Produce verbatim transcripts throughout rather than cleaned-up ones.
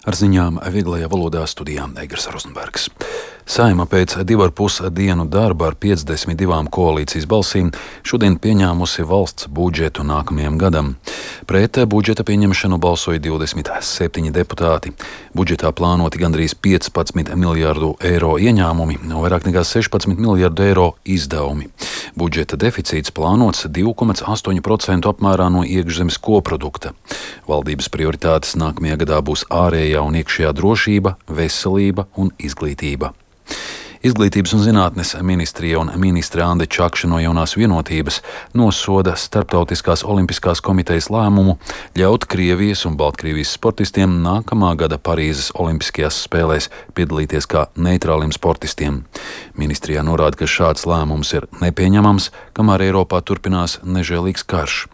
Ar ziņām vieglajā valodā studijā Eigars Rozenbergs. Saeima pēc divu ar pus dienu darba ar piecdesmit divām koalīcijas balsīm šodien pieņēmusi valsts budžetu nākamajam gadam. Pret budžeta pieņemšanu balsoja divdesmit septiņi deputāti. Budžetā plānoti gandrīz piecpadsmit miljārdu eiro ieņēmumi un vairāk nekā sešpadsmit miljārdu eiro izdevumi. Budžeta deficīts plānots divi komats astoņi procenti apmērā no iekšzemes koprodukta. Valdības prioritātes nākamajā gadā būs ārējā un iekšējā drošība, veselība un izglītība. Izglītības un zinātnes ministrija un ministre Ande Čakša no Jaunās vienotības nosoda Starptautiskās olimpiskās komitejas lēmumu ļaut Krievijas un Baltkrievijas sportistiem nākamā gada Parīzes olimpiskajās spēlēs piedalīties kā neitrāliem sportistiem. Ministrijā norāda, ka šāds lēmums ir nepieņemams, kamēr Eiropā turpinās nežēlīgs karš.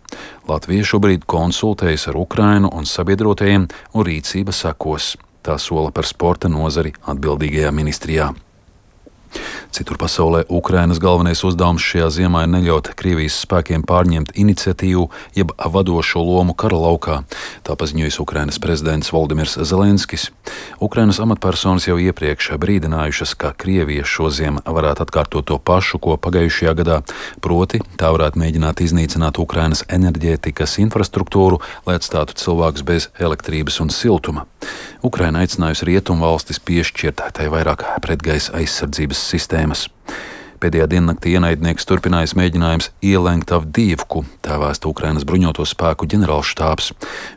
Latvija šobrīd konsultējas ar Ukrainu un sabiedrotajiem, un rīcība sekos. Tā sola par sporta nozari atbildīgajā ministrijā. Citur pasaulē Ukrainas galvenais uzdevums šajā ziemā ir neļaut Krievijas spēkiem pārņemt iniciatīvu jeb vadošo lomu kara laukā. Tā paziņojis Ukrainas prezidents Voldimirs Zelenskis. Ukrainas amatpersonas jau iepriekš brīdinājušas, ka Krievija šoziem varētu atkārtot to pašu, ko pagājušajā gadā, proti tā varētu mēģināt iznīcināt Ukrainas enerģētikas infrastruktūru, lai atstātu cilvēkus bez elektrības un siltuma. Ukraina aicinājusi rietumu valstis piešķirt tai vairāk pretgaisa aizsardzības sistēmas. Pēdējā diennaktī ienaidnieks turpinājis mēģinājums ielenkt Avdīvku, tā vēsta Ukrainas bruņoto spēku ģenerālštābs.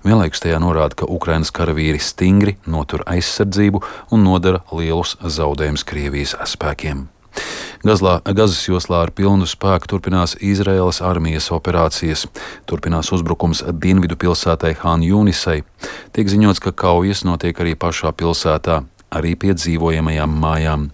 Vienlaikus tajā norāda, ka Ukrainas karavīri stingri notur aizsardzību un nodara lielus zaudējumus Krievijas spēkiem. Gazlā, Gazas joslā ar pilnu spēku turpinās Izraēlas armijas operācijas. Turpinās uzbrukums dienvidu pilsētai Han Jūnisai. Tiek ziņots, ka kaujas notiek arī pašā pilsētā, arī pie dzīvojamajām mājām.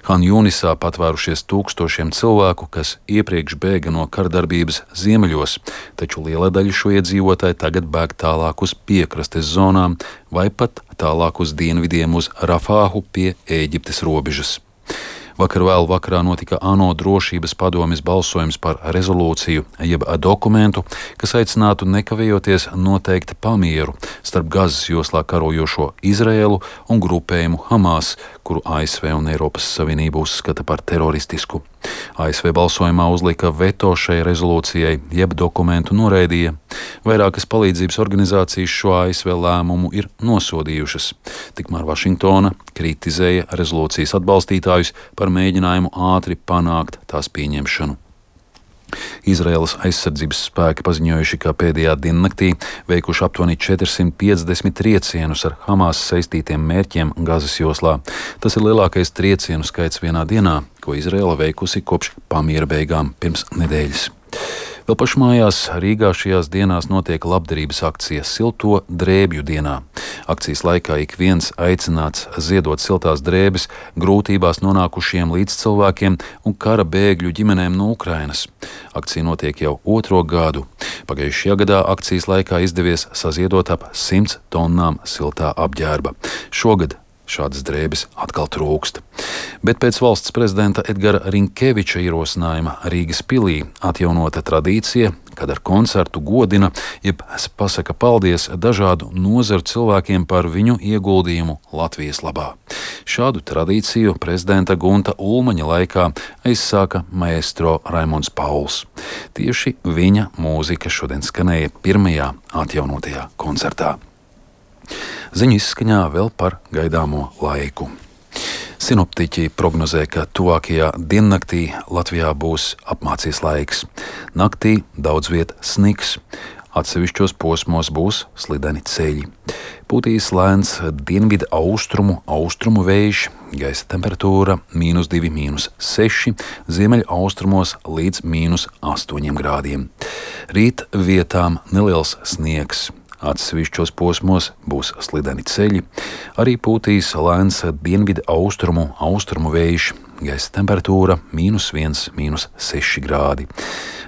Han Jūnisā patvērušies tūkstošiem cilvēku, kas iepriekš bēga no kardarbības ziemeļos, taču liela daļa šo iedzīvotāju tagad bēg tālāk uz piekrastes zonām vai pat tālāk uz dienvidiem uz Rafāhu pie Ēģiptes robežas. Vakar vēl vakarā notika ANO drošības padomes balsojums par rezolūciju, jeb dokumentu, kas aicinātu nekavējoties noteikt pamieru starp Gazas joslā karojošo Izraēlu un grupējumu Hamas, kuru A S V un Eiropas Savienība uzskata par teroristisku. A S V balsojumā uzlika veto šai rezolūcijai, jeb dokumentu noraidīja. Vairākas palīdzības organizācijas šo A S V lēmumu ir nosodījušas. Tikmēr Vašingtona kritizēja rezolūcijas atbalstītājus par mēģinājumu ātri panākt tās pieņemšanu. Izraēlas aizsardzības spēki paziņojuši, ka pēdējā diennaktī veikuši aptuveni četrsimt piecdesmit triecienus ar Hamas saistītiem mērķiem Gazas joslā. Tas ir lielākais triecienu skaits vienā dienā, ko Izraēla veikusi kopš pamiera beigām pirms nedēļas. Vēl pašmājās Rīgā šajās dienās notiek labdarības akcija Silto drēbju dienā. Akcijas laikā ik viens aicināts ziedot siltās drēbes grūtībās nonākušiem līdzcilvēkiem un kara bēgļu ģimenēm no Ukrainas. Akcija notiek jau otro gadu. Pagājušajā gadā akcijas laikā izdevies saziedot ap simts tonnām siltā apģērba. Šogad šādas drēbes atkal trūkst. Bet pēc valsts prezidenta Edgara Rinkeviča ierosinājuma Rīgas pilī atjaunota tradīcija, kad ar koncertu godina, jeb pasaka paldies dažādu nozaru cilvēkiem par viņu ieguldījumu Latvijas labā. Šādu tradīciju prezidenta Gunta Ulmaņa laikā aizsāka maestro Raimonds Pauls. Tieši viņa mūzika šodien skanēja pirmajā atjaunotajā koncertā. Ziņu izskaņā vēl par gaidāmo laiku. Sinoptiķi prognozē, ka tuvākajā diennaktī Latvijā būs apmācies laiks. Naktī daudz viet snigs, atsevišķos posmos būs slideni ceļi. Pūtīs lēns dienvidu austrumu, austrumu vējš, gaisa temperatūra mīnus divi, mīnus seši, ziemeļa austrumos līdz mīnus astoņiem grādiem. Rīt vietām neliels sniegs. Atsevišķos posmos būs slideni ceļi, arī pūtīs lēns dienvidu austrumu, austrumu vējš, gaisa temperatūra mīnus viens, mīnus seši grādi.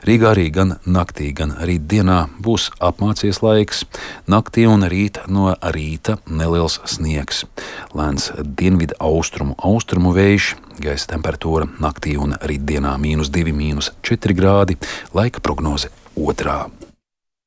Rīgā arī gan naktī, gan rīt dienā būs apmācies laiks, naktī un rīt no rīta neliels sniegs. Lēns dienvidu austrumu, austrumu vējš, gaisa temperatūra naktī un rīt dienā mīnus divi, mīnus četri grādi, laika prognoze otrā.